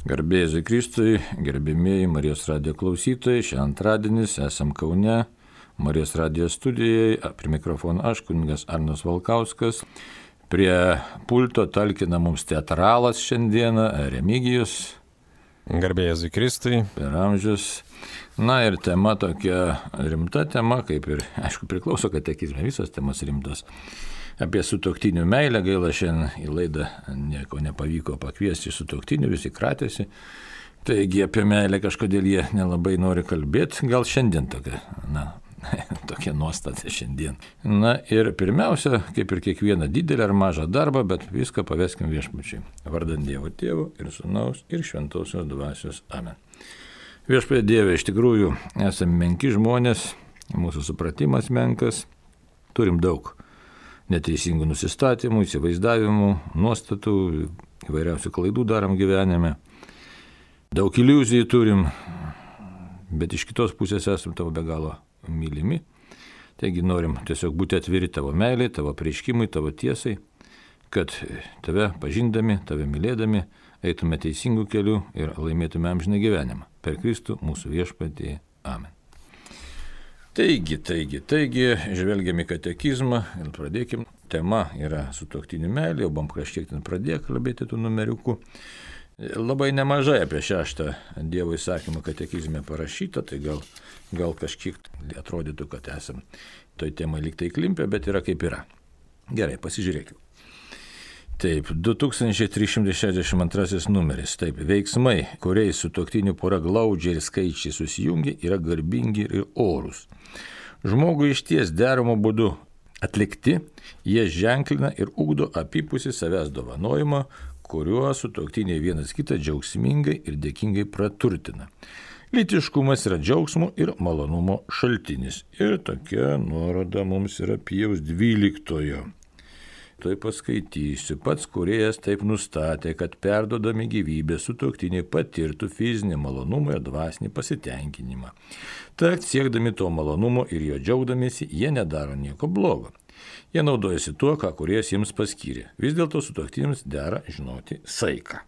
Garbė Jėzui Kristui, gerbimieji Marijos radijo klausytojai, šiandien antradienis, esam Kaune, Marijos radijo studijoje, prie mikrofono aš, kunigas Arnas Valkauskas, prie pulto talkina mums teatralas šiandieną, Remigijus. Garbė Jėzui Kristui. Per amžius. Na ir tema tokia rimta tema, kaip ir, aišku, priklauso katekizme, visos temos rimtos. Apie sutuoktinių meilę, gaila šiandien į laidą nieko nepavyko pakviesti sutuoktinių, visi kratėsi. Taigi apie meilę kažkodėl jie nelabai nori kalbėti, gal šiandien tokia nuostata šiandien. Na ir pirmiausia, kaip ir kiekvieną didelį ar mažą darbą, bet viską paveskim viešpačiui. Vardant Dievo Tėvo ir Sūnaus ir Šventosios Dvasios. Amen. Viešpatie Dieve, iš tikrųjų esame menki žmonės, mūsų supratimas menkas, turim daug neteisingų nusistatymų, įsivaizdavimų, nuostatų, įvairiausių klaidų darom gyvenime. Daug iliuzijų turim, bet iš kitos pusės esame tavo be galo mylimi. Taigi norim tiesiog būti atviri tavo meilai, tavo apreiškimui, tavo tiesai, kad tave pažindami, tave mylėdami, eitume teisingų kelių ir laimėtume amžiną gyvenimą. Per Kristų mūsų viešpatį. Amen. Taigi, žvelgiam į katekizmą ir pradėkim. Tema yra sutuoktinių meilė, jau buvom kažkiek ten pradėję kalbėti tų numeriukų. Labai nemažai apie 6 Dievo įsakymą katekizme parašyta, tai gal kažkiek atrodytų, kad esam toj temai lyg tai klimpę, bet yra kaip yra. Gerai, pasižiūrėkime. Taip, 2362 numeris. Taip, veiksmai, kuriais sutuoktinių pora glaudžiai ir skaičiai susijungia, yra garbingi ir orūs. Žmogui išties deramo būdu atlikti, jie ženklina ir ugdo apipusį savęs dovanojimą, kuriuo sutuoktiniai vienas kitą džiaugsmingai ir dėkingai praturtina. Lytiškumas yra džiaugsmo ir malonumo šaltinis. Ir tokia nuoroda mums yra Pijaus 12. Tai paskaitysiu. Pats kūrėjas taip nustatė, kad perdodami gyvybę sutuoktiniai patirtų fizinį malonumą ir dvasinį pasitenkinimą. Tad siekdami to malonumo ir jo džiaugdamiesi, jie nedaro nieko blogo. Jie naudojasi tuo, ką kūrėjas jiems paskyrė. Vis dėlto sutuoktiniams dera žinoti saiką.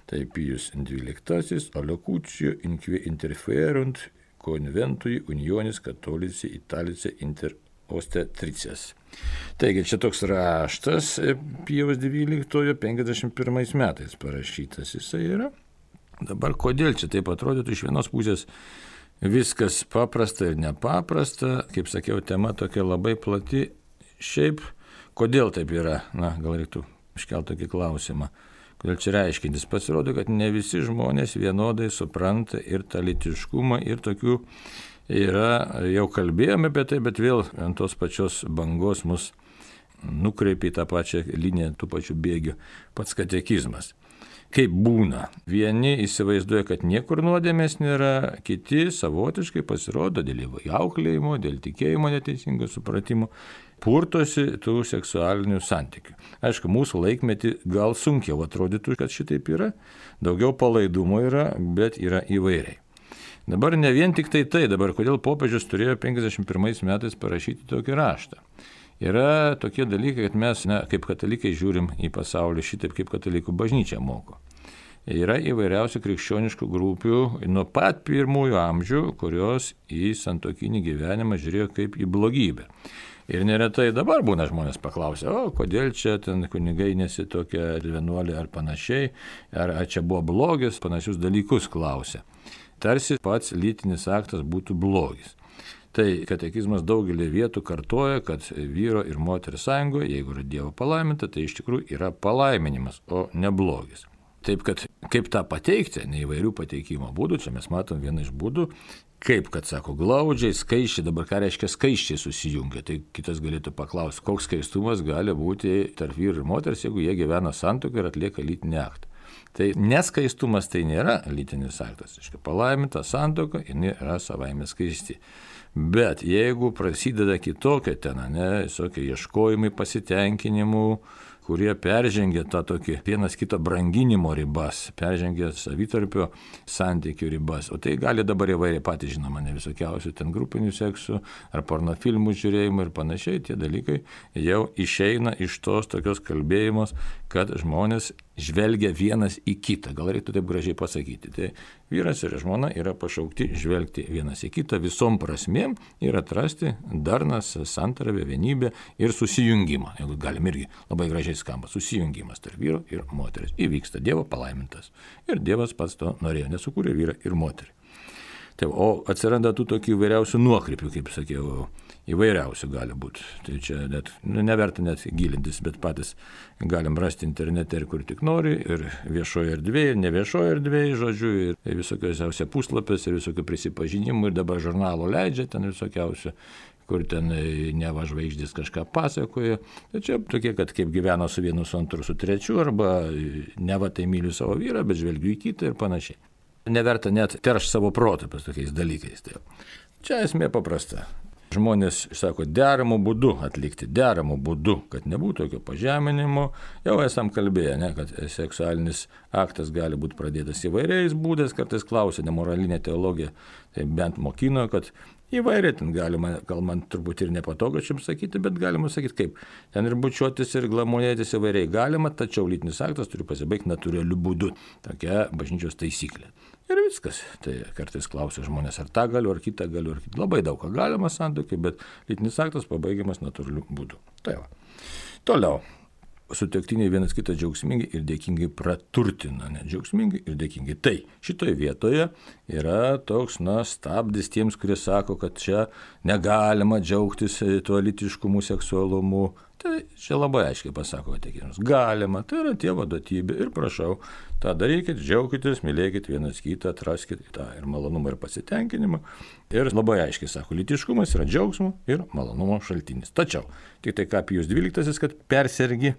Tai Pijus 12. Alocucio inque interferunt conventui unionis catholici italice inter ostetrices. Taigi čia toks raštas Pijaus 12. 51 metais parašytas jisai yra. Dabar kodėl čia taip atrodytų, iš vienos pusės viskas paprasta ir nepaprasta, kaip sakiau, tema tokia labai plati. Šiaip, kodėl taip yra? Gal reiktų iškelti tokį klausimą. Kodėl čia reiškintis? Pasirodo, kad ne visi žmonės vienodai supranta ir tą lytiškumą, ir tokių yra, jau kalbėjome apie tai, bet vėl ant tos pačios bangos mus nukreipia į tą pačią liniją, tų pačių bėgių pats katekizmas. Kaip būna? Vieni įsivaizduoja, kad niekur nuodėmės nėra, kiti savotiškai pasirodo dėl auklėjimo, dėl tikėjimo neteisingo supratimo, purtosi tų seksualinių santykių. Aišku, mūsų laikmetį gal sunkiau atrodytų, kad šitaip yra, daugiau palaidumo yra, bet yra įvairiai. Dabar ne vien tik tai, dabar kodėl popiežius turėjo 51 metais parašyti tokį raštą. Yra tokie dalykai, kad mes, kaip katalikai, žiūrim į pasaulį šitaip, kaip katalikų bažnyčia moko. Yra įvairiausių krikščioniškų grupių nuo pat pirmųjų amžių, kurios į santuokinį gyvenimą žiūrėjo kaip į blogybę. Ir neretai dabar būna žmonės paklausia, kodėl čia ten kunigai nesitokia ar vienuolė ar panašiai, ar čia buvo blogis, panašius dalykus klausia. Tarsi pats lytinis aktas būtų blogis. Tai katekizmas daugelį vietų kartoja, kad vyro ir moters sąjungoje, jeigu yra Dievo palaiminta, tai iš tikrųjų yra palaiminimas, o ne blogis. Taip, kad kaip tą pateikti, ne įvairių pateikimo būdų, čia mes matom vieną iš būdų, kaip, kad sako, glaudžiai, skaičiai, dabar ką reiškia skaičiai susijungia, tai kitas galėtų paklausti, koks skaistumas gali būti tarp vyro ir moters, jeigu jie gyvena santuokoje ir atlieka lytinį aktą. Tai neskaistumas tai nėra lytinis aktas, palaiminta santuoka, jinai yra savaime skaisti. Bet jeigu prasideda kitokia ten, visokie ieškojimai, pasitenkinimų, kurie peržengia tą tokį vienas kito branginimo ribas, peržengia savitarpio santykių ribas. O tai gali dabar įvairiai patys, žinoma, ne visokiausių ten grupinių seksų ar pornofilmų žiūrėjimų ir panašiai. Tie dalykai jau išeina iš tos tokios kalbėjimos, kad žmonės žvelgia vienas į kitą. Gal reiktų taip gražiai pasakyti. Tai vyras ir žmona yra pašaukti žvelgti vienas į kitą visom prasmėm ir atrasti darnas, santarvę, vienybę ir susijungimą. Jeigu galim irgi labai gražiai skamba. Susijungimas tarp vyro ir moteris. Įvyksta Dievo palaimintas. Ir Dievas pats to norėjo, nesukūrė vyrą ir moterį. Tai, o atsiranda tų tokių įvairiausių nuokrypių, kaip sakiau, įvairiausių gali būti. Tai čia net, neverta net gilintis, bet patys galim rasti internete ir kur tik nori, ir viešoje erdvėje, ir ne viešoje erdvėje, žodžiu, ir visokiausiausia puslapės, ir visokių prisipažinimų, ir dabar žurnalų leidžia ten visokiausių, kur ten neva žvaigždės kažką pasakoja. Tai čia tokie, kad kaip gyveno su vienu, su antru, su trečiu, arba neva tai myliu savo vyrą, bet žvelgiu į kitą ir panašiai. Neverta net teršti savo protą pas tokiais dalykais. Tai čia esmė paprasta. Žmonės, sako, deramų būdų atlikti, deramų būdų, kad nebūtų tokio pažeminimo. Jau esam kalbėję, ne, kad seksualinis aktas gali būti pradėtas įvairiais būdais, kartais klausia, nemoralinė teologija, tai bent mokino, kad įvairiai ten galima, gal man turbūt ir nepatogu šiam sakyti, bet galima sakyti kaip. Ten ir bučiuotis, ir glamonėtis įvairiai galima, tačiau lytinis aktas turi pasibaigti natūraliu būdu. Tokia bažnyčios taisyklė. Ir viskas. Tai kartais klausia žmonės, ar tą galiu, ar kitą galiu, ar kitą. Labai daug ką galima santuokai, bet lytinis aktas pabaigiamas natūraliu būdu. Tai va. Toliau. Sutuoktiniai vienas kitą džiaugsmingai ir dėkingai praturtina. Ne, džiaugsmingai ir dėkingai. Tai šitoje vietoje yra toks, stabdis tiems, kurie sako, kad čia negalima džiaugtis tuo lytiškumu, seksualumu. Tai čia labai aiškiai pasako tikėjimas. Galima, tai yra Dievo duotybė ir prašau, tą darykit, džiaukitės, mylėkit vienas kitą, atraskit tą ir malonumą ir pasitenkinimą. Ir labai aiškiai sako, lytiškumas yra džiaugsmo ir malonumo šaltinis. Tačiau, tik tai ką Pijus XII, kad persergi,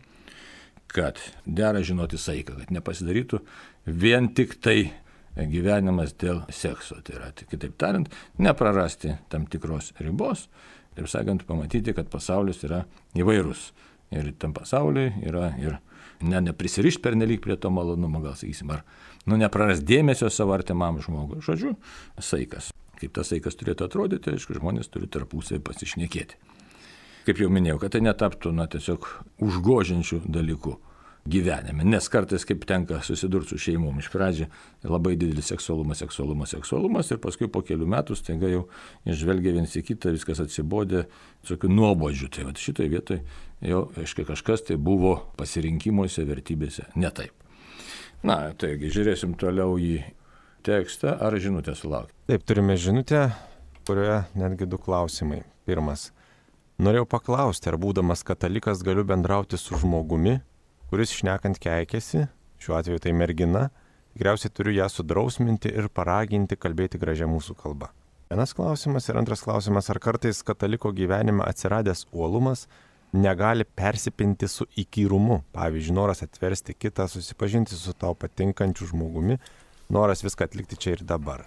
kad dera žinoti saiką, kad nepasidarytų vien tik tai gyvenimas dėl sekso. Tai yra, kitaip tariant, neprarasti tam tikros ribos. Taip sakant, pamatyti, kad pasaulis yra įvairus. Ir tam pasauliui yra ir neprisirišti pernelyg prie to malonumo, gal sakysim, ar nepraras dėmesio savo artimam žmogui. Žodžiu, saikas. Kaip tas saikas turėtų atrodyti, aišku, žmonės turi tarpusavį pasišnekėti. Kaip jau minėjau, kad tai netaptų tiesiog užgožiančių dalykų gyvenime, nes kartais kaip tenka susidurti su šeimom. Iš pradžių labai didelis seksualumas ir paskui po kelių metų staiga jau žvelgia viens į kitą, viskas atsibodė, tokių nuobodžių. Tai šitoje vietoje jau, aiškiai, kažkas tai buvo pasirinkimuose, vertybėse ne taip. Taigi, žiūrėsim toliau į tekstą, ar žinutę sulaukti. Taip, turime žinutę, kurioje netgi 2 klausimai. Pirmas. Norėjau paklausti, ar būdamas katalikas galiu bendrauti su žmogumi, kuris šnekant keikiasi, šiuo atveju tai mergina, tikriausiai turiu ją sudrausminti ir paraginti kalbėti gražią mūsų kalbą. Vienas klausimas ir antras klausimas, ar kartais kataliko gyvenime atsiradęs uolumas negali persipinti su įkyrumu, pavyzdžiui, noras atversti kitą, susipažinti su tau patinkančiu žmogumi, noras viską atlikti čia ir dabar.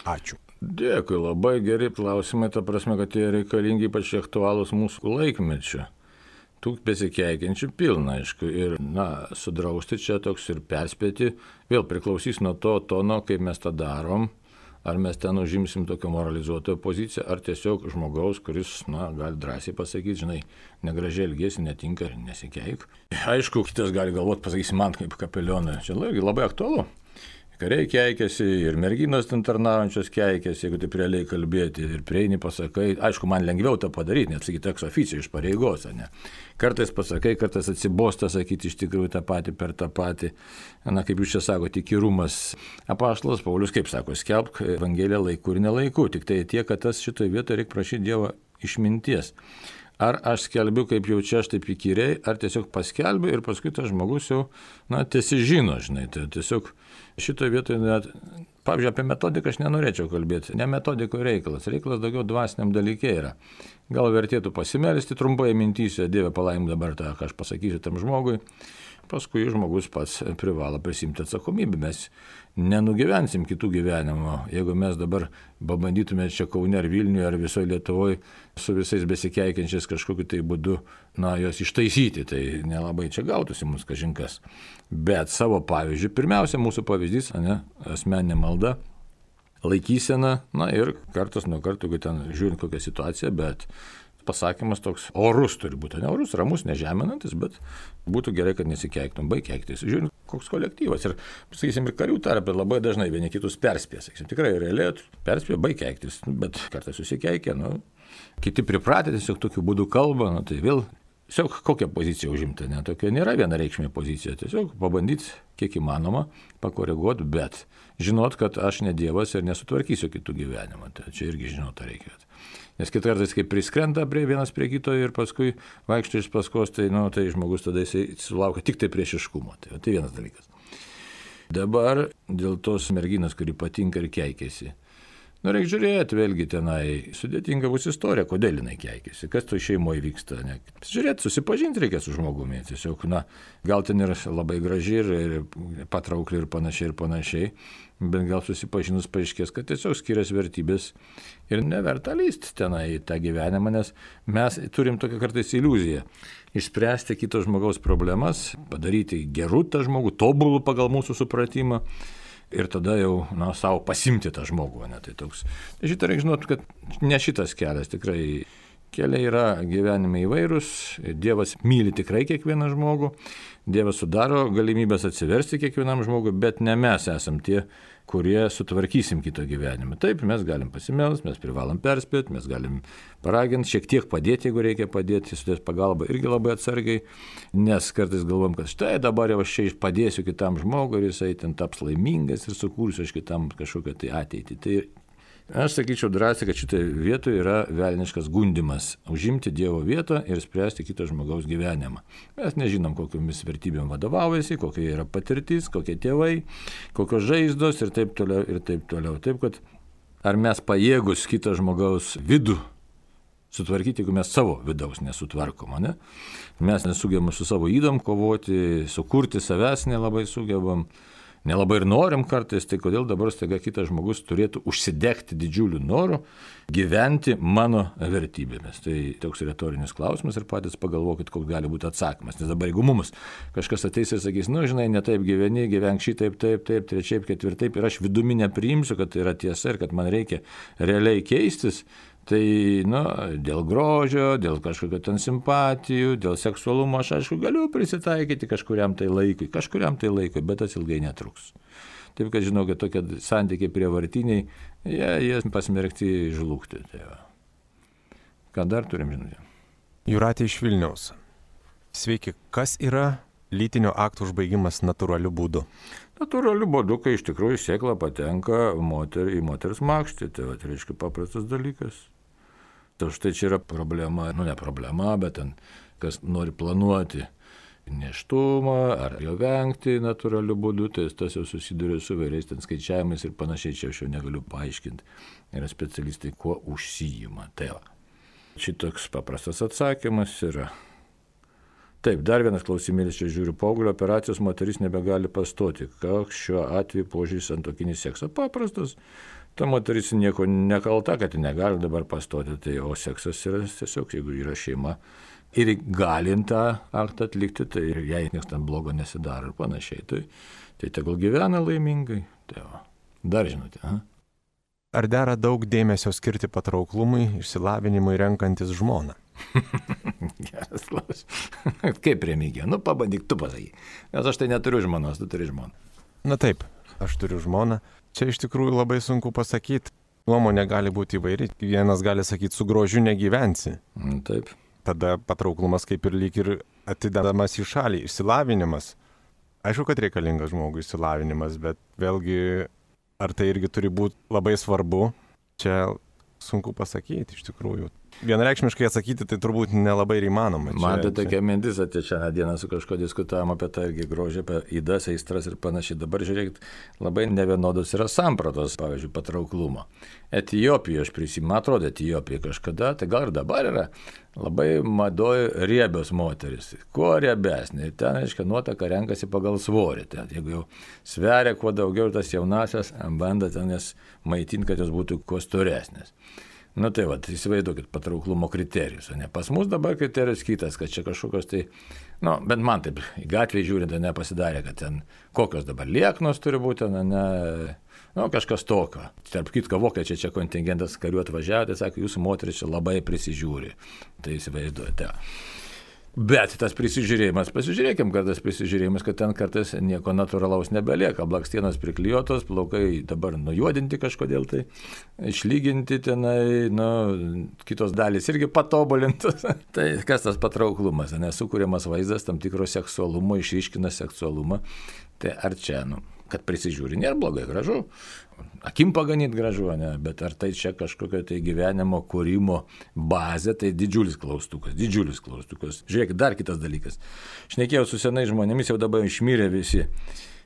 Ačiū. Dėkui, labai geri klausimai, ta prasme, kad jie reikalingi ypač aktualūs mūsų laikmečio. Tų besikeikiančių pilna, aišku, ir, sudrausti čia toks ir perspėti, vėl priklausys nuo to tono, kaip mes tą darom, ar mes ten užimsim tokią moralizuotoją poziciją, ar tiesiog žmogaus, kuris, gali drąsiai pasakyti, žinai, negražiai elgiesi, netinka ir nesikeik. Aišku, kitas gali galvoti, pasakysi man kaip kapelionui, čia labai aktualu. Kariai keikiasi ir merginos ten tarnaujančios keikiasi, jeigu taip realiai kalbėti ir prieini pasakai, aišku, man lengviau tą padaryti, net sakyti ex officio iš pareigos, ne. Kartais pasakai, kartais atsibosta sakyti iš tikrųjų tą patį per tą patį, kaip jūs čia sakote, įkyrumas. Apaštalas Paulius, kaip sako, skelbk Evangeliją laiku ir nelaiku, tik tai tiek, kad tas šitoje vietoje reikia prašyti Dievo išminties. Ar aš skelbiu, kaip jau čia aš taip įkyriai, ar tiesiog paskelbiu ir paskui tas žmogus jau, tiesiog žino, žinai, tai tiesiog šitoje vietoje net, pavyzdžiui, apie metodiką aš nenorėčiau kalbėti, ne metodiko reikalas daugiau dvasiniam dalyke yra. Gal vertėtų pasimelsti trumpai mintyse, Dieve palaimink dabar tą, ką aš pasakysiu tam žmogui, paskui žmogus pats privalo prisimti atsakomybę. Mes nenugyvensim kitų gyvenimo. Jeigu mes dabar pabandytume čia Kaune ar Vilniuje ar visoje Lietuvoje su visais besikeikiančiais kažkokiu tai būdu, jos ištaisyti, tai nelabai čia gautųsi mums kažinkas. Bet savo pavyzdžių, pirmiausia, mūsų pavyzdys, asmeninė malda, laikysena, ir kartas nuo karto, jeigu ten žiūrint kokią situaciją, bet pasakymas toks orus turi būti, ne orus, ramus, nežeminantis, bet būtų gerai, kad nesikeiktum, baig keiktis. Žiūrint, koks kolektyvas. Ir, sakysim, ir karių tarpe labai dažnai vieni kitus perspėja. Sakysim, tikrai realiai perspėja, baig keiktis, bet kartais susikeikia, kiti pripratę tiesiog tokiu būdu kalba, tai vėl tiesiog kokią poziciją užimti, tokia nėra vienareikšmė pozicija, tiesiog pabandyti kiek įmanoma pakoreguoti, bet žinot, kad aš ne Dievas ir nesutvarkysiu kitų gyvenimą, tai čia irgi žinot, reikia. Nes kitą kartą, kai priskrenda vienas prie kito ir paskui vaikšto iš paskos, tai žmogus tada jisai sulaukia tik tai priešiškumo. Tai vienas dalykas. Dabar dėl tos merginos, kuri patinka ir keikiasi. Reikia žiūrėti, vėlgi tenai sudėtinga bus istorija, kodėl jinai keikiasi, kas to šeimoje vyksta. Žiūrėti, susipažinti reikia su žmogumi. Tiesiog, gal ten ir labai graži ir patraukli ir panašiai. Bet gal susipažinus paaiškės, kad tiesiog skiriasi vertybės ir neverta lysti tenai į tą gyvenimą, nes mes turim tokią kartais iliuziją. Išspręsti kito žmogaus problemas, padaryti gerų tą žmogų, tobulų pagal mūsų supratimą ir tada jau savo pasimti tą žmogų. Tai toks. Šitą reikia žinoti, kad ne šitas kelias tikrai. Keliai yra gyvenime įvairūs, Dievas myli tikrai kiekvieną žmogų, Dievas sudaro galimybės atsiversti kiekvienam žmogui, bet ne mes esam tie, kurie sutvarkysim kito gyvenimą. Taip, mes galim pasimelst, mes privalom perspėti, mes galim paraginti, šiek tiek padėti, jeigu reikia padėti, sudės pagalbą irgi labai atsargiai, nes kartais galvom, kad štai dabar jau aš čia padėsiu kitam žmogui ir jisai ten taps laimingas ir sukursiu aš kitam kažkokią tai ateitį. Tai aš sakyčiau drąsiai, kad šitoje vietoje yra velniškas gundimas užimti Dievo vietą ir spręsti kito žmogaus gyvenimą. Mes nežinom, kokiomis vertybėm vadovaujasi, kokia yra patirtis, kokie tėvai, kokios žaizdos ir taip toliau ir taip toliau. Taip, kad ar mes pajėgus kito žmogaus vidų sutvarkyti, jeigu mes savo vidaus nesutvarkom, ne? Mes nesugebam su savo ydom kovoti, sukurti savęs nelabai sugebam. Nelabai ir norim kartais, tai kodėl dabar staiga kitas žmogus turėtų užsidegti didžiuliu noru gyventi mano vertybėmis. Tai toks retorinis klausimas ir patys pagalvokit, koks gali būti atsakymas. Nes dabar jeigu mums kažkas ateis ir sakys, žinai, ne taip gyveni, gyvenk šitaip, taip, trečiaip, ketvirtaip ir aš vidumi nepriimsiu, kad tai yra tiesa ir kad man reikia realiai keistis, tai, dėl grožio, dėl kažkokio ten simpatijų, dėl seksualumo aš, aišku, galiu prisitaikyti kažkuriam tai laikui, bet tas ilgai netruks. Taip, kad žinau, kad tokie santykiai prievartiniai, jie pasmerkti žlugti. Tai va. Ką dar turim žinoti? Jūratė iš Vilniaus. Sveiki, kas yra lytinio akto užbaigimas natūraliu būdu? Natūraliu būdu, kai iš tikrųjų sėkla patenka į moters makštį, tai reiškia paprastas dalykas. Tai štai čia yra problema, ne problema, bet ten, kas nori planuoti nėštumą ar jo vengti natūraliu būdu, tai tas jau susiduria su vairiais ten skaičiavimais ir panašiai, čia aš jau negaliu paaiškinti. Yra specialistai, kuo užsijima. Tai va. Šitoks paprastas atsakymas yra. Taip, dar vienas klausimėlis, čia žiūriu, paauglio operacijos moteris nebegali pastoti. Koks šiuo atveju požiūris santuokinį seksą? Paprastas. Ta moteris nieko nekalta, kad negali dabar pastoti, tai, o seksas yra tiesiog, jeigu yra šeima ir galint tą aktą atlikti, tai ir jai niekas ten blogo nesidaro ir panašiai. Tai tegul gyvena laimingai. Tai va. Dar žinote. Ar dera daug dėmesio skirti patrauklumui, išsilavinimui renkantis žmoną? Geras klausimas. Kaip Remigija? Pabandyk tu pasakyk. Nes aš tai neturiu žmonos, tu turi žmoną. Na taip, aš turiu žmoną. Čia iš tikrųjų labai sunku pasakyti. Nuomonė gali būti įvairi. Vienas gali sakyti, su grožiu negyvensi. Taip. Tada patrauklumas kaip ir lyg ir atidedamas į šalį. Išsilavinimas. Aišku, kad reikalingas žmogui išsilavinimas, bet vėlgi, ar tai irgi turi būti labai svarbu, čia sunku pasakyti iš tikrųjų. Vienareikšmiškai atsakyti tai turbūt nelabai ir įmanoma. Man tai tokia mintis, atėjo šią dieną su kažko diskutavom apie tai irgi grožį, apie įdas, aistras ir panašiai. Dabar žiūrėkit, labai nevienodos yra sampratos, pavyzdžiui, patrauklumo. Etijopijoje, aš prisimenu, atrodo, Etijopijoje kažkada, tai gal ir dabar yra labai madoj riebios moteris. Kuo riebesnė, ten, aiškiai, nuotaka renkasi pagal svorį. Ten, jeigu jau sveria kuo daugiau, tas jaunasias banda ten jas maitinti, kad jos būtų kuo storesnės. Nu tai va, įsivaizduokit patrauklumo kriterijus, ne? Pas mus dabar kriterijus kitas, kad čia kažkokios tai, nu, bent man taip, į gatvę žiūrint, nepasidarė, kad ten kokios dabar lieknos turi būti, ne, nu, kažkas tokio. Tarp kitko, vokiečiai čia kontingentas karių atvažiavo, tai sako, jūsų moteris čia labai prisižiūri, tai įsivaizduojate. Bet tas prisižiūrėjimas, pasižiūrėkim, kad tas prisižiūrėjimas, kad ten kartais nieko natūralaus nebelieka, blakstienos priklijuotos, plaukai dabar nujuodinti kažkodėl tai, išlyginti tenai, nu, kitos dalys irgi patobulintos. Tai kas tas patrauklumas, nesukūriamas vaizdas tam tikro seksualumo, išryškina seksualumą, tai ar čia, nu, kad prisižiūri, nėra blogai, gražu. Akim paganyti gražu, ne? Bet ar tai čia kažkokio tai gyvenimo kūrimo bazė, tai didžiulis klaustukas. Žiūrėk, dar kitas dalykas. Šnekėjau su senais žmonėmis, jau dabar išmirė visi,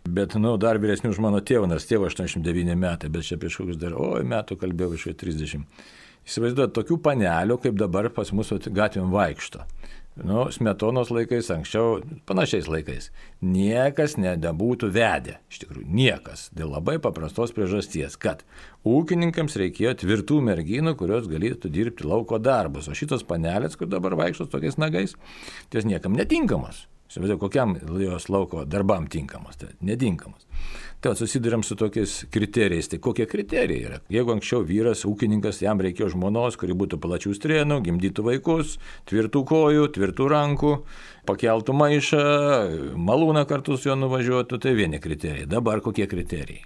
bet, nu, dar vyresnių už mano tėvą, nors tėvo 89 metai, bet čia prieš kokius dar, metų kalbėjau iš 30. Įsivaizduojat, tokių panelių, kaip dabar pas mus gatvėm vaikšto. Nu, Smetonos laikais, anksčiau, panašiais laikais, niekas nebūtų vedę, iš tikrųjų, niekas, dėl labai paprastos priežasties, kad ūkininkams reikėjo tvirtų merginų, kurios galėtų dirbti lauko darbus, o šitos panelės, kur dabar vaikštos tokiais nagais, ties niekam netinkamos. Kokiam jos lauko darbam tinkamos, tai netinkamas. Tai susidurėm su tokiais kriterijais. Tai kokie kriterijai yra? Jeigu anksčiau vyras, ūkininkas, jam reikėjo žmonos, kuri būtų plačių strėnų, gimdytų vaikus, tvirtų kojų, tvirtų rankų, pakeltų maišą, malūną kartu su juo nuvažiuotų, tai vieni kriterijai. Dabar kokie kriterijai?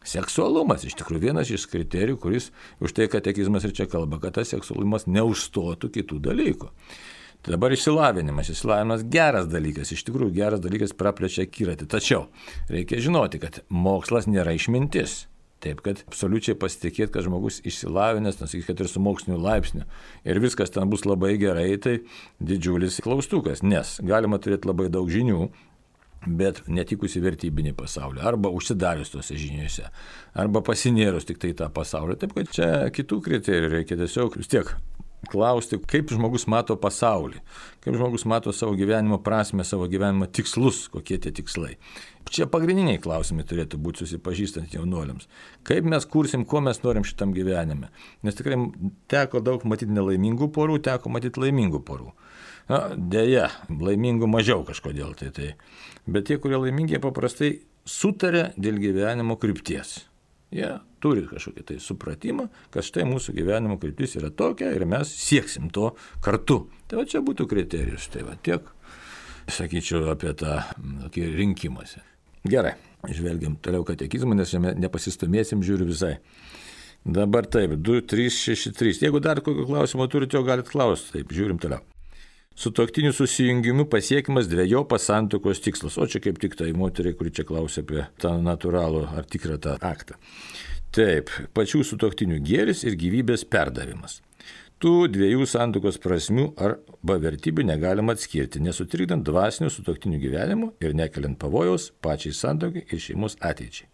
Seksualumas, iš tikrųjų, vienas iš kriterijų, kuris už tai katekizmas ir čia kalba, kad tas seksualumas neužstotų kitų dalykų. Tai dabar išsilavinimas geras dalykas, iš tikrųjų geras dalykas praplečia akiratį. Tačiau reikia žinoti, kad mokslas nėra išmintis. Taip, kad absoliučiai pasitikėti, kad žmogus išsilavinęs, kad ir su moksliniu laipsniu ir viskas ten bus labai gerai, tai didžiulis klaustukas, nes galima turėti labai daug žinių, bet netikusi vertybinį pasaulį, arba užsidarius tose žiniuose, arba pasinėrus tik tai tą pasaulį. Taip, kad čia kitų kriterijų reikia tiesiog vis tiek klausti, kaip žmogus mato pasaulį, kaip žmogus mato savo gyvenimo prasmę, savo gyvenimo tikslus, kokie tie tikslai. Čia pagrindiniai klausimai turėtų būti susipažįstant jaunuoliams. Kaip mes kursim, ko mes norim šitam gyvenime. Nes tikrai teko daug matyti nelaimingų porų, teko matyti laimingų porų. Na, deja, laimingų mažiau kažkodėl tai. Bet tie, kurie laimingi, jie paprastai sutarė dėl gyvenimo krypties. Jie turi kažkokį tai supratimą, kad štai mūsų gyvenimo kryptis yra tokia ir mes sieksim to kartu. Tai va čia būtų kriterijus. Tai va tiek, sakyčiau, apie tą rinkimąsi. Gerai, žvelgiam toliau katekizmą, nes šiame nepasistumėsim, žiūriu visai. Dabar taip, 2, 3, 6, 3. Jeigu dar kokio klausimo turite, jau galite klausti. Taip, žiūrim toliau. Sutuoktinių susijungimu pasiekimas dvejopas santuokos tikslas. O čia kaip tik tai moteriai, kuri čia klausia apie tą natūralų ar tikrą tą aktą. Taip, pačių sutuoktinių gėris ir gyvybės perdavimas. Tų dviejų santuokos prasmių arba vertybių negalima atskirti, nesutrikdant dvasinių sutuoktinių gyvenimo ir nekeliant pavojaus pačiai santuokai ir šeimos ateičiai.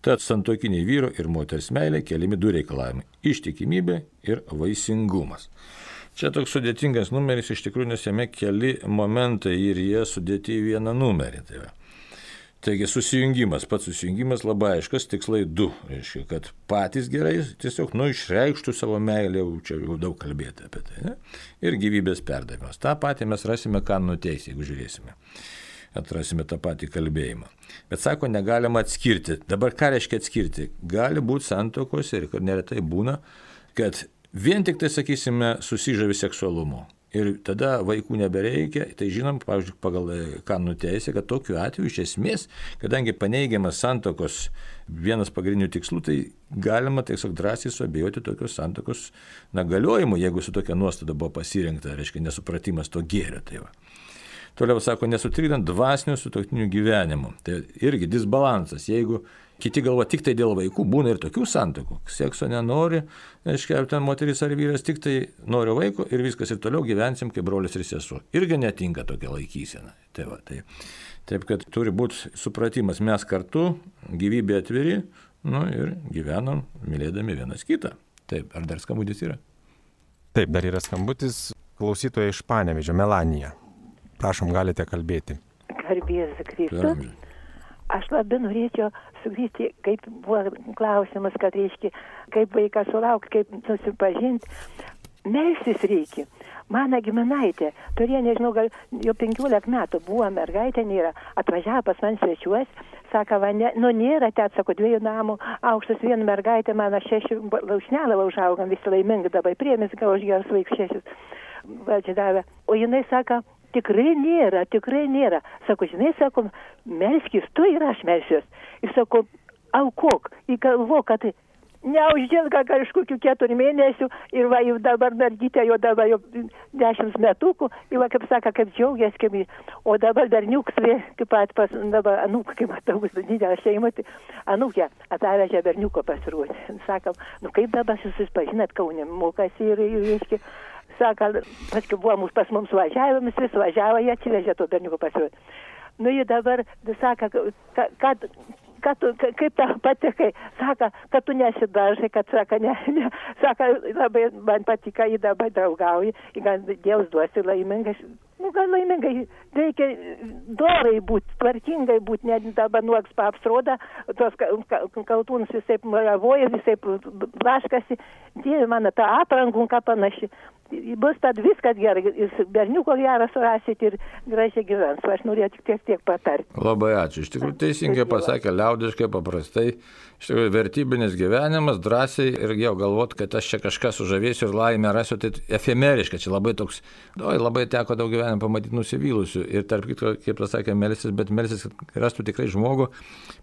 Tad santuokiniai vyro ir moters meilė keliami du reikalavimai – ištikimybė ir vaisingumas. Čia toks sudėtingas numeris, iš tikrųjų, nes jame keli momentai ir jie sudėti į vieną numerį. Taigi susijungimas, pats susijungimas labai aiškas, tikslai 2. Reiškia, kad patys gerai tiesiog išreikštų savo meilę, čia jau daug kalbėti apie tai. Ne? Ir gyvybės perdavimas. Ta patį mes rasime Kanonų teisėje, jeigu žiūrėsime. Atrasime tą patį kalbėjimą. Bet sako, negalima atskirti. Dabar ką reiškia atskirti? Gali būti santuokose ir neretai būna, kad vien tik tai, sakysime, susižavi seksualumu. Ir tada vaikų nebereikia. Tai žinom, pavyzdžiui, pagal Kanonų teisę, kad tokiu atveju iš esmės, kadangi paneigiamas santuokos vienas pagrindinių tikslų, tai galima tiesiog drąsiai suabejoti tokios santuokos galiojimu, jeigu su tokia nuostata buvo pasirinkta, reiškia nesupratimas to gėrio. Tai va. Toliau sako, nesutrikdant dvasinių sutuoktinių gyvenimų. Tai irgi disbalansas. Jeigu Kiti galvo tik tai dėl vaikų, būna ir tokių santuokų. Sekso nenori, reiškia, ten moteris ar vyras tik tai nori vaiko ir viskas ir toliau gyvensim kaip brolis ir sesuo. Irgi netinka tokia laikysena. Taip, kad turi būti supratimas, mes kartu, gyvybė atviri, ir gyvenam, mylėdami vienas kitą. Taip, ar dar skambutis yra? Taip, dar yra skambutis. Klausytoja iš Panevėžio, Melanija. Prašom, galite kalbėti. Garbės Kristus. Aš labai norėčiau sugrįžti, kaip buvo klausimas, kad reiškia, kaip vaiką sulaukti, kaip susipažinti. Melstis reikia. Mano giminaitė turėjo, nežinau, gal jau 15 metų buvo mergaitė, nėra, atvažiavo pas man svečiuos, sako, nėra, sako, 2 namų, aukštas 1 mergaitė, mano 6 laušnelą užaugam, visi laimingi dabar, priėmės, gal už geras vaiks 6 valdžia davė. O jinai sako, tikrai nėra. Sako, žinai, sako, melskis tu ir aš melsiuos. Ir sako, aukok, įgalvok, kad neuždėlga kažkokių 4 mėnesių ir va, jau dabar mergytė, jau dabar jau 10 metukų, ir va, kaip sako, kaip džiaugiasi, kaip, o dabar berniukas, kaip pat pas, dabar anūką, kaip matau, didelę šeimą, tai anūkė atvežė berniuko pasirodė. Sakom, kaip dabar susipažinat Kaune, mokasi ir reiškia, sako, paskui buvo pas mums važiavimas, vis važiavo, jie atsivežė to berniuko pasirodė. Jie dabar, sako, kaip tau patekai, sako, kad tu nesidažai, kad sako, sako, labai man patika, jį dabar draugauji, gal Dievas duosi laimingai, gal laimingai, reikia dorai būti, tvarkingai būti, net dabar nuogs paapsroda, tos kaltūnus visai maravoja, visai blaškasi, Dieve mano, tą aprangų, ką panaši. Bus tad viskas gerai, berniuko gerą surasit ir gražiai gyvens. Aš norėjau tiek patarti. Labai ačiū. Iš tikrųjų teisingai pasakė, liaudiškai, paprastai. Iš tikrųjų vertybinis gyvenimas, drąsiai ir jau galvot, kad aš čia kažką sužavėsiu ir laimę rasiu, tai efemeriška. Čia labai toks, labai teko daug gyvenimą pamatyti nusivylusių. Ir tarp kitko, kaip pasakė, melsis, bet melsis, kad rastų tikrai žmogų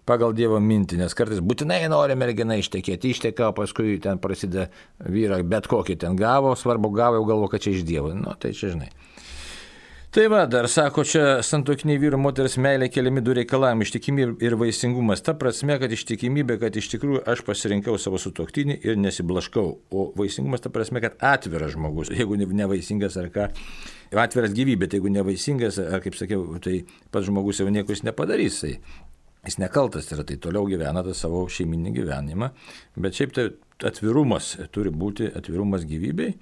pagal Dievo mintį. Nes kartais būtinai nori mergina ištekėti, išteka, paskui ten prasideda vyrą, bet kokį ten gavo, svarbu gavo, jau galvo, kad čia iš Dievo. Tai čia žinai. Tai va, dar sako, čia santuokiniai vyro moters meilė keliami 2 reikalavimai - ištikimybė ir vaisingumas. Ta prasme, kad ištikimybė, kad iš tikrųjų aš pasirinkau savo sutuoktinį ir nesiblaškau. O vaisingumas ta prasme, kad atviras žmogus, jeigu nevaisingas ar ką, atviras gyvybė, tai jeigu nevaisingas, ar kaip sakiau, tai pats žmogus jau nieko jis nepadarys. Tai jis nekaltas yra, tai toliau gyvena tą savo šeiminį gyvenimą. Bet šiaip tai atvirumas turi būti, atvirumas gyvybei,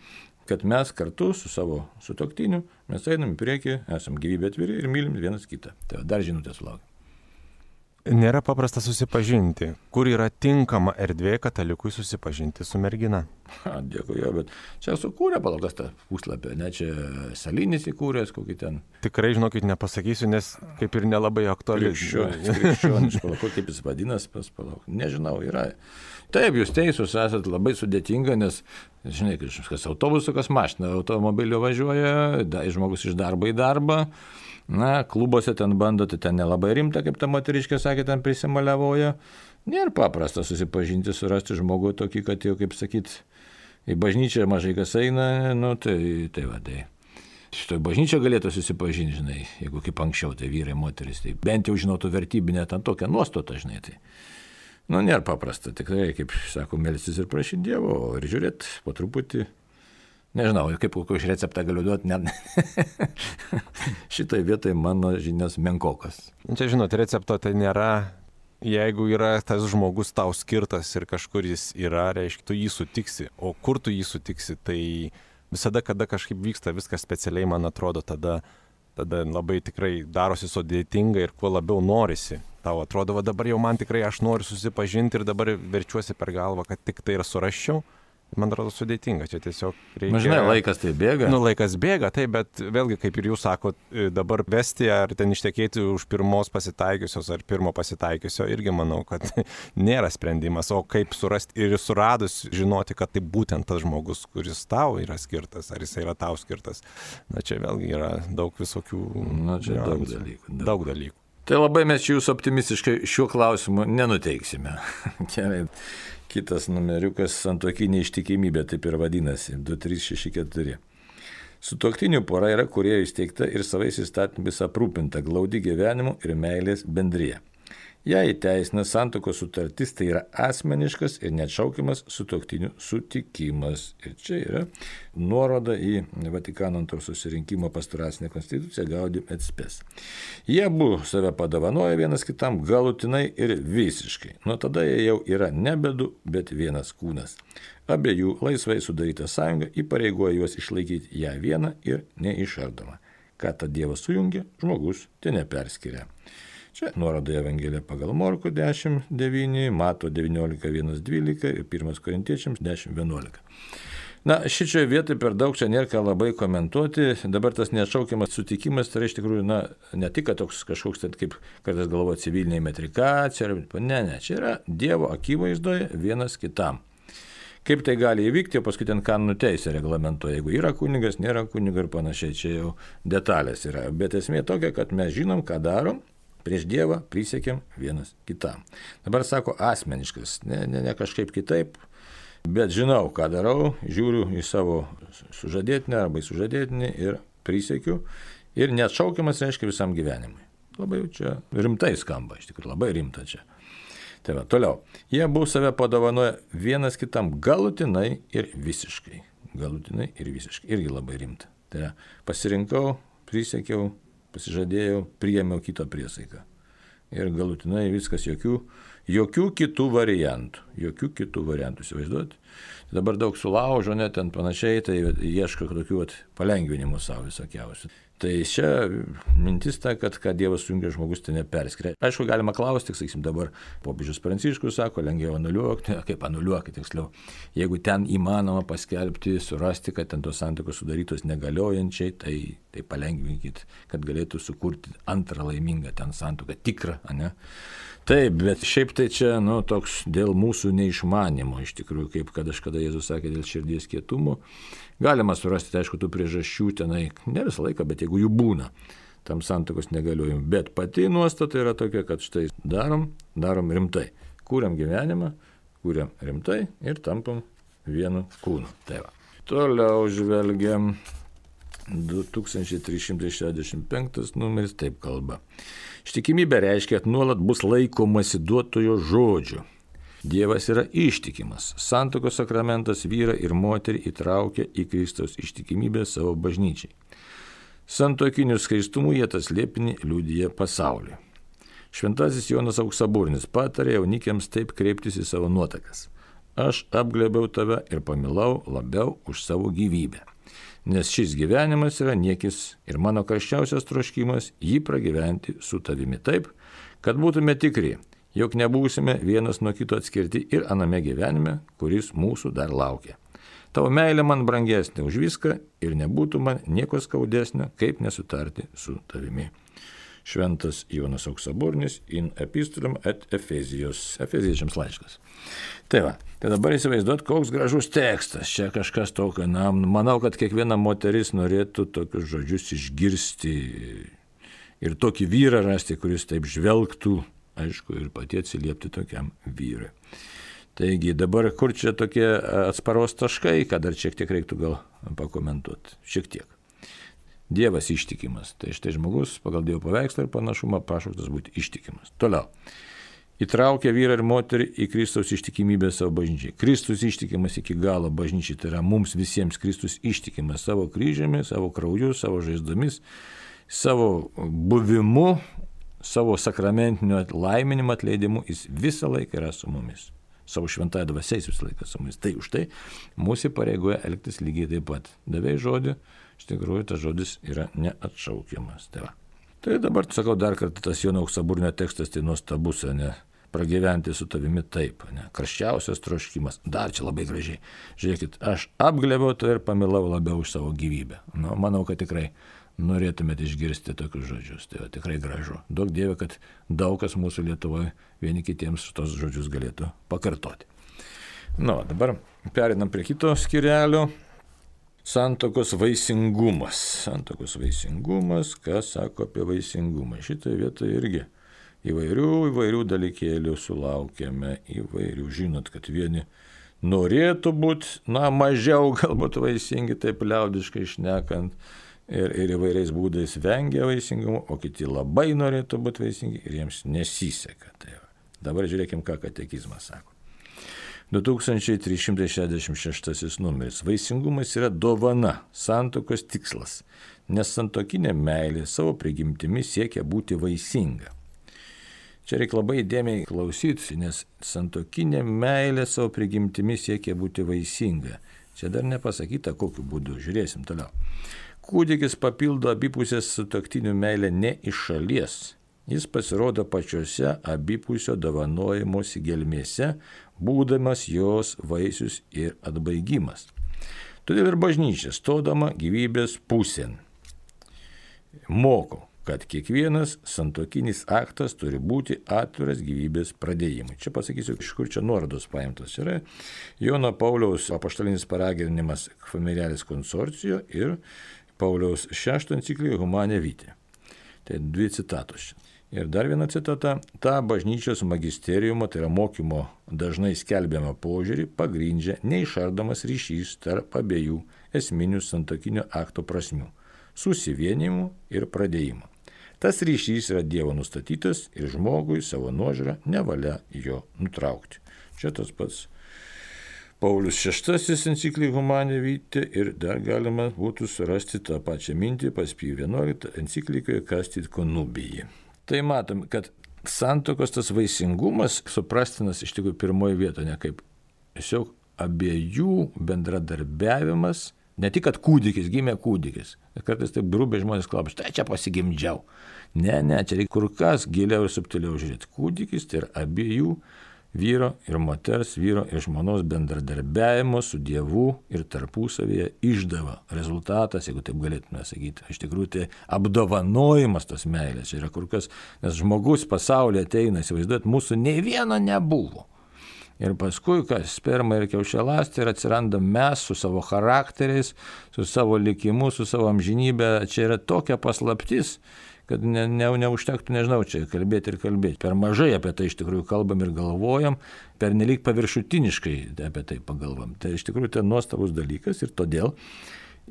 kad mes kartu su savo sutuoktiniu, mes einam į priekį, esam gyvybė atviri ir mylim vienas kitą. Tai dar žinutės sulaukia. Nėra paprasta susipažinti. Kur yra tinkama erdvė katalikui susipažinti su mergina? Dėkui, jo, bet čia sukūrė palakas tą puslapį, ne čia Salinis įkūręs, kokį ten. Tikrai, žinokit, nepasakysiu, nes kaip ir nelabai aktuali. Krikščionis, palauk, kaip jis vadinas, palauk, nežinau, yra. Taip, jūs teisūs, esat labai sudėtinga, nes, žinai, kas autobusu, kas mašina, automobilio važiuoja, žmogus iš darbo į darbą, klubuose ten bando, tai ten nelabai rimta, kaip ta moteriškė sakė, ten prisimaliavoja. Nėra paprasta susipažinti, surasti žmogų tokį, kad jau, kaip sakyt, į bažnyčią mažai kas eina, tai va, tai. Šitoj bažnyčia galėtų susipažinti, žinai, jeigu kaip anksčiau, tai vyrai, moteris, tai bent jau žinotų vertybinę ten tokią nuostatą, žinai, tai. Nėra paprasta, tikrai, kaip sako, melstis ir prašyti Dievo, ir žiūrėti po truputį. Nežinau, kaip kokį receptą galiu duoti, net šitoj vietoj mano žinios menkokas. Čia, žinot, recepto tai nėra, jeigu yra tas žmogus tau skirtas ir kažkur jis yra, reiškia, tu jį sutiksi, o kur tu jį sutiksi, tai visada, kada kažkaip vyksta viskas specialiai, man atrodo, tada labai tikrai darosi sudėtinga ir kuo labiau norisi. Tau atrodo, va dabar jau man tikrai aš noriu susipažinti ir dabar verčiuosi per galvą, kad tik tai ir suraščiau. Man atrodo sudėtinga, čia tiesiog reikia. Žinai, laikas tai bėga. Laikas bėga, taip, bet vėlgi, kaip ir jūs sakot, dabar vesti ar ten ištekėti už pirmos pasitaikiusios ar pirmo pasitaikiusio, irgi manau, kad nėra sprendimas. O kaip surasti ir suradus žinoti, kad tai būtent tas žmogus, kuris tau yra skirtas, ar jis yra tau skirtas. Čia vėlgi yra daug visokių daug dalykų. Tai labai mes čia jūsų optimistiškai šiuo klausimu nenuteiksime. Gerai. Kitas numeriukas santuokinė ištikimybė, taip ir vadinasi, 2364. Sutuoktinių pora yra Kūrėjo įsteigta ir savais įstatymais aprūpinta glaudi gyvenimu ir meilės bendrija. Ją įteisina santuokos sutartis, tai yra asmeniškas ir neatšaukiamas sutuoktinių sutikimas. Ir čia yra nuoroda į Vatikano antrojo susirinkimo pastoracinę konstituciją Gaudium et Spes. Jie abu save padovanoja vienas kitam galutinai ir visiškai. Nuo tada jie jau yra nebe du, bet vienas kūnas. Abiejų laisvai sudaryta sąjunga įpareigoja juos išlaikyti ją vieną ir neišardomą. Ką tą Dievas sujungia, žmogus te neperskiria. Čia nuoroda į Evangeliją pagal Morkų 10.9, Mato 19.1.12 ir 1 Korintiečiams 10.11. Na, šitoje vietoje per daug čia nėra ką labai komentuoti. Dabar tas neatšaukiamas sutikimas, tai iš tikrųjų, ne tik toks kažkoks, kaip kartais galvoja civilinė metrikacija, ne, čia yra Dievo akivaizdoje vienas kitam. Kaip tai gali įvykti, o paskui ten kanonų teisė reglamentuoja, jeigu yra kunigas, nėra kunigo ir panašiai, čia jau detalės yra. Bet esmė tokia, kad mes žinom, ką darom, prieš Dievą prisiekėm vienas kitam. Dabar sako asmeniškas, ne kažkaip kitaip, bet žinau, ką darau, žiūriu į savo sužadėtinę arba į sužadėtinį ir prisiekiu ir neatšaukiamas reiškia visam gyvenimui. Labai čia rimtai skamba, iš tikrųjų labai rimta čia. Tai va, toliau. Jie abu save padovanoja vienas kitam galutinai ir visiškai. Galutinai ir visiškai. Irgi labai rimta. Tai pasirinkau, prisiekiau, pasižadėjau, priėmiau kito priesaiką. Ir galutinai viskas, jokių kitų variantų. Jokių kitų variantų, įsivaizduoti. Dabar daug sulaužo, net ten panašiai, tai ieško tokių palengvinimų savo visokiausių. Tai čia mintis ta, kad ką Dievas sujungia, žmogus tai neperskiria. Aišku, galima klausti, sakysim, dabar popiežius Pranciškus sako, lengviau anuliuokti, kaip anuliuokti tiksliau. Jeigu ten įmanoma paskelbti, surasti, kad ten tos santuokos sudarytos negaliojančiai, tai palengvinkit, kad galėtų sukurti antrą laimingą ten santuoką, tikrą, ne? Taip, bet šiaip tai čia, toks dėl mūsų neišmanimo, iš tikrųjų, kaip kažkada Jėzus sakė, dėl širdies kietumo. Galima surasti, aišku, tų priežasčių tenai, ne visą laiką, bet jeigu jų būna, tam santuokos negaliojimui. Bet pati nuostata yra tokia, kad štai darom rimtai. Kūriam gyvenimą, kūriam rimtai ir tampam vienu kūnu. Tai va. Toliau žvelgiam 2365 numeris, taip kalba. Ištikimybė reiškia, kad nuolat bus laikomasi duotojo žodžių. Dievas yra ištikimas. Santuokos sakramentas vyrą ir moterį įtraukia į Kristaus ištikimybę savo bažnyčiai. Santuokiniu skaistumu jie tą slėpinį liudija pasauliui. Šventasis Jonas Auksaburnis patarė jaunikiams taip kreiptis į savo nuotakas. Aš apglėbiau tave ir pamilau labiau už savo gyvybę. Nes šis gyvenimas yra niekis ir mano karščiausias troškimas jį pragyventi su tavimi taip, kad būtume tikri, jog nebūsime vienas nuo kito atskirti ir aname gyvenime, kuris mūsų dar laukia. Tavo meilė man brangesnė už viską ir nebūtų man nieko skaudesnio, kaip nesutarti su tavimi. Šventas Jonas Auksaburnis in epistolum et Efezijos. Efeziečiams laiškas. Tai va, tai dabar įsivaizduot, koks gražus tekstas. Čia kažkas tokio, manau, kad kiekviena moteris norėtų tokius žodžius išgirsti ir tokį vyrą rasti, kuris taip žvelgtų, aišku, ir pati atsiliepti tokiam vyrui. Taigi dabar kur čia tokie atsparos taškai, ką dar šiek tiek reiktų gal pakomentuoti. Šiek tiek. Dievas ištikimas. Tai štai žmogus pagal Dievo paveikslą ir panašumą pašauktas būti ištikimas. Toliau. Įtraukia vyrą ir moterį į Kristaus ištikimybę savo bažnyčiai. Kristus ištikimas iki galo bažnyčiai. Tai yra mums visiems Kristus ištikimas savo kryžiumi, savo krauju, savo žaizdomis, savo buvimu, savo sakramentiniu laiminimu, atleidimu. Jis visą laiką yra su mumis. Savo šventąją dvasią jis visą laiką su mumis. Tai už tai mūsų pareigoja elgtis lygiai taip pat. Davei žodį. Iš tikrųjų, tas žodis yra neatšaukiamas. Tai dabar, sakau, dar kartą tas Jono Auksaburnio tekstas, tai nuostabus, ne, pragyventi su tavimi taip, ne, karščiausias troškimas, dar čia labai gražiai. Žiūrėkit, aš apglėbiau tave ir pamilau labiau už savo gyvybę. Manau, kad tikrai norėtumėte išgirsti tokius žodžius, tai tikrai gražu. Duok Dieve, kad daug kas mūsų Lietuvoje vieni kitiems tos žodžius galėtų pakartoti. Dabar perinam prie kito skyrelio. Santuokos vaisingumas. Santuokos vaisingumas, kas sako apie vaisingumą. Šitoje vietoje irgi įvairių dalykėlių sulaukėme, įvairių. Žinot, kad vieni norėtų būti, mažiau galbūt vaisingi, taip liaudiškai šnekant. ir įvairiais būdais vengia vaisingumo, o kiti labai norėtų būti vaisingi ir jiems nesiseka. Tai va. Dabar žiūrėkim, ką katekizmas sako. 2366 numeris. Vaisingumas yra dovana, santuokos tikslas, nes santuokinė meilė savo prigimtimi siekia būti vaisinga. Čia reikia labai įdėmiai klausyti, nes santuokinė meilė savo prigimtimi siekia būti vaisinga. Čia dar nepasakyta, kokiu būdu. Žiūrėsim toliau. Kūdikis papildo abipusės sutuoktinių meilę ne iš šalies. Jis pasirodo pačiose abipusio dovanojimosi gelmėse, būdamas jos vaisius ir atbaigimas. Todėl ir bažnyčia, stodama gyvybės pusėn, moko, kad kiekvienas santuokinis aktas turi būti atviras gyvybės pradėjimui. Čia pasakysiu, iš kur čia nuorodos paimtos. Yra Jono Pauliaus apaštalinis paraginimas Familiaris Consortio ir Pauliaus VI enciklika Humane Vitae. Tai 2 citatos čia. Ir dar viena citata. Ta bažnyčios magisteriumo, tai yra mokymo dažnai skelbiamą požiūrį, pagrindžia neišardomas ryšys tarp abiejų esminių santuokinio akto prasmių – susivienimų ir pradėjimo. Tas ryšys yra Dievo nustatytas ir žmogui savo nuožiūrą nevalia jo nutraukti. Čia tas pats Paulius VI enciklika Humane Vitae ir dar galima būtų surasti tą pačią mintį pas Pijų XI enciklikoje Castit Connubii. Tai matom, kad santuokos tas vaisingumas suprastinas iš tikrųjų pirmoje vietoje, ne kaip tiesiog abiejų bendradarbiavimas, ne tik, kad kūdikis, gimė kūdikis. Kartais taip grubiai žmonės klausia, tai čia pasigimdžiau. Ne, čia reikia kur kas giliau ir subtiliau žiūrėti. Kūdikis tai yra abiejų vyro ir moters, vyro ir žmonos bendradarbiavimo su Dievu ir tarpusavyje išdava. Rezultatas, jeigu taip galėtume sakyti, iš tikrųjų tai apdovanojimas tos meilės. Čia yra kur kas, nes žmogus pasaulyje ateina, įsivaizduot, mūsų nei vieno nebuvo. Ir paskui, kas sperma ir kiaušialąstė, ir atsiranda mes su savo charakteriais, su savo likimu, su savo amžinybė. Čia yra tokia paslaptis, kad neužtektų, nežinau, čia kalbėti ir kalbėti. Per mažai apie tai iš tikrųjų kalbam ir galvojam, per nelik paviršutiniškai apie tai pagalvom. Tai iš tikrųjų tai nuostabus dalykas ir todėl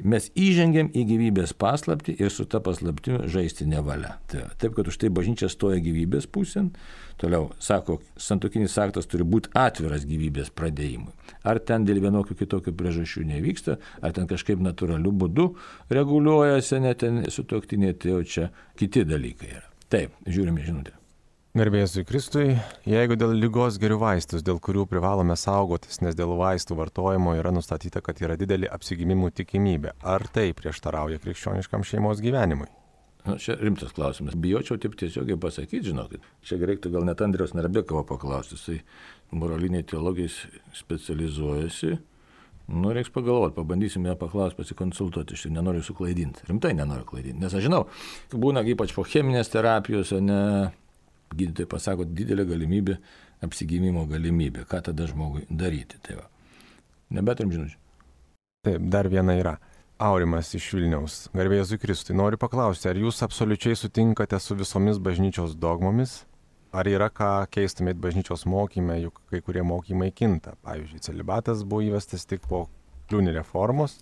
mes įžengiam į gyvybės paslaptį ir su ta paslaptimi žaisti nevalia. Taip, kad už tai bažnyčia stoja gyvybės pusėn. Toliau, sako, santuokinis aktas turi būti atviras gyvybės pradėjimui. Ar ten dėl vienokių kitokių priežasčių nevyksta, ar ten kažkaip natūraliu būdu reguliuojasi, net ten sutuoktiniai, tai jau čia kiti dalykai yra. Taip, žiūrime žinutę. Garbė Jėzui Kristui, jeigu dėl ligos geriu vaistus, dėl kurių privalome saugotis, nes dėl vaistų vartojimo yra nustatyta, kad yra didelė apsigimimų tikimybė, ar tai prieštarauja krikščioniškam šeimos gyvenimui? Čia rimtas klausimas. Bijočiau taip tiesiogiai pasakyti, žinokit. Čia reiktų gal net Andriaus Narbekovo paklausti. Jisai moraliniai teologijai specializuojasi. Reiks pagalvoti, pabandysim ją paklausti, pasikonsultuoti. Aš nenoriu suklaidinti. Rimtai nenoriu klaidinti. Nes aš žinau, būna ypač po cheminės terapijos, o ne gydytojai pasako didelė galimybė, apsigimimo galimybė. Ką tada žmogui daryti? Tai va. Nebeturim žinučių. Taip, dar viena yra. Aurimas iš Vilniaus. Garbė Jėzui Kristui. Noriu paklausti, ar jūs absoliučiai sutinkate su visomis bažnyčios dogmomis? Ar yra ką keistumėt bažnyčios mokyme, juk kai kurie mokymai kinta? Pavyzdžiui, celibatas buvo įvestas tik po Kliūni reformos.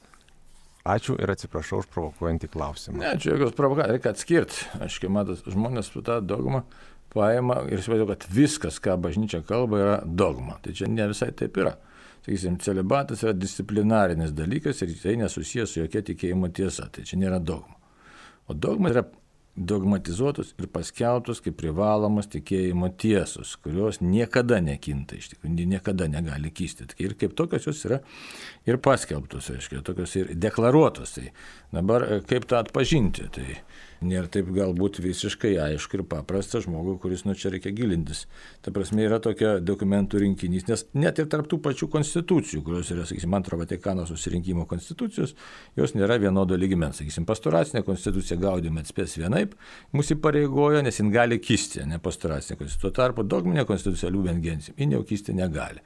Ačiū ir atsiprašau už provokuojantį klausimą. Ne, čia jokios provokacijos, reikia atskirti. Aš kai matas, žmonės su tą dogmą paima ir įsivaizduoju, kad viskas, ką bažnyčia kalba, yra dogma. Tai čia ne visai taip yra. Sakysim, celibatas yra disciplinarinis dalykas ir tai nesusijęs su jokia tikėjimo tiesa. Tai čia nėra dogma. O dogma yra dogmatizuotos ir paskelbtos kaip privalomas tikėjimo tiesos, kurios niekada nekinta, iš tikrųjų, niekada negali kisti. Ir kaip tokios jos yra ir paskelbtos, aiškiai, tokios ir deklaruotos. Tai dabar kaip tą atpažinti? Tai nėra taip galbūt visiškai aišku ir paprasta žmogui, kuris čia reikia gilintis. Ta prasme yra tokia dokumentų rinkinys, nes net ir tarp tų pačių konstitucijų, kurios yra, sakysim, Antro Vatikano susirinkimo konstitucijos, jos nėra vienodo lygmens. Sakysim, pastoracinė konstitucija Gaudium et Spes vienaip mus įpareigoja, nes jin gali kisti, ne pastoracinė konstitucija. Tuo tarpu dogminė konstitucija Lumen Gentium, jin jau kisti negali.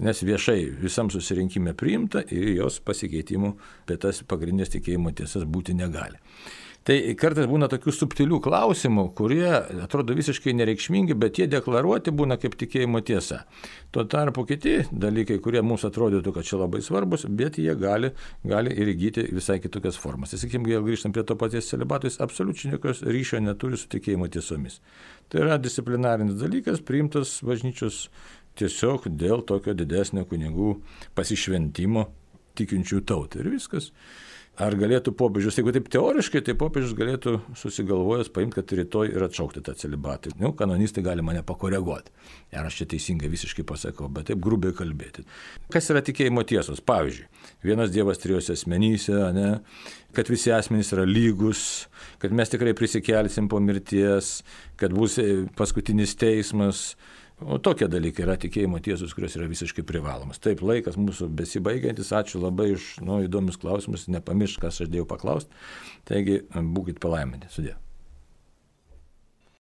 Nes viešai visam susirinkime priimta ir jos pasikeitimų apie tas pagrindinės tikėjimo tiesas būti negali. Tai kartais būna tokių subtilių klausimų, kurie atrodo visiškai nereikšmingi, bet jie deklaruoti būna kaip tikėjimo tiesa. Tuo tarpu kiti dalykai, kurie mums atrodytų, kad čia labai svarbus, bet jie gali ir įgyti visai kitokias formas. Tai sakykime, jeigu grįžtam prie to paties celibato, jis absoliučiai jokios ryšio neturi su tikėjimo tiesomis. Tai yra disciplinarinis dalykas, priimtas bažnyčios tiesiog dėl tokio didesnio kunigų pasišventimo tikinčių tautai. Ir viskas. Ar galėtų popiežius, jeigu taip teoriškai, tai popiežius galėtų susigalvojęs paimti, kad rytoj ir atšaukti tą celibatą. Kanonistai gali mane pakoreguoti. Ar aš čia teisingai visiškai pasakau, bet taip grubiai kalbėti. Kas yra tikėjimo tiesos? Pavyzdžiui, vienas Dievas trijose asmenyse, kad visi asmenys yra lygus, kad mes tikrai prisikelsim po mirties, kad bus paskutinis teismas. O tokie dalykai yra tikėjimo tiesos, kurios yra visiškai privalomas. Taip, laikas mūsų besibaigiantis, ačiū labai už įdomius klausimus, nepamiršk, kas aš dėjau paklausti. Taigi, būkit palaiminti. Sudie.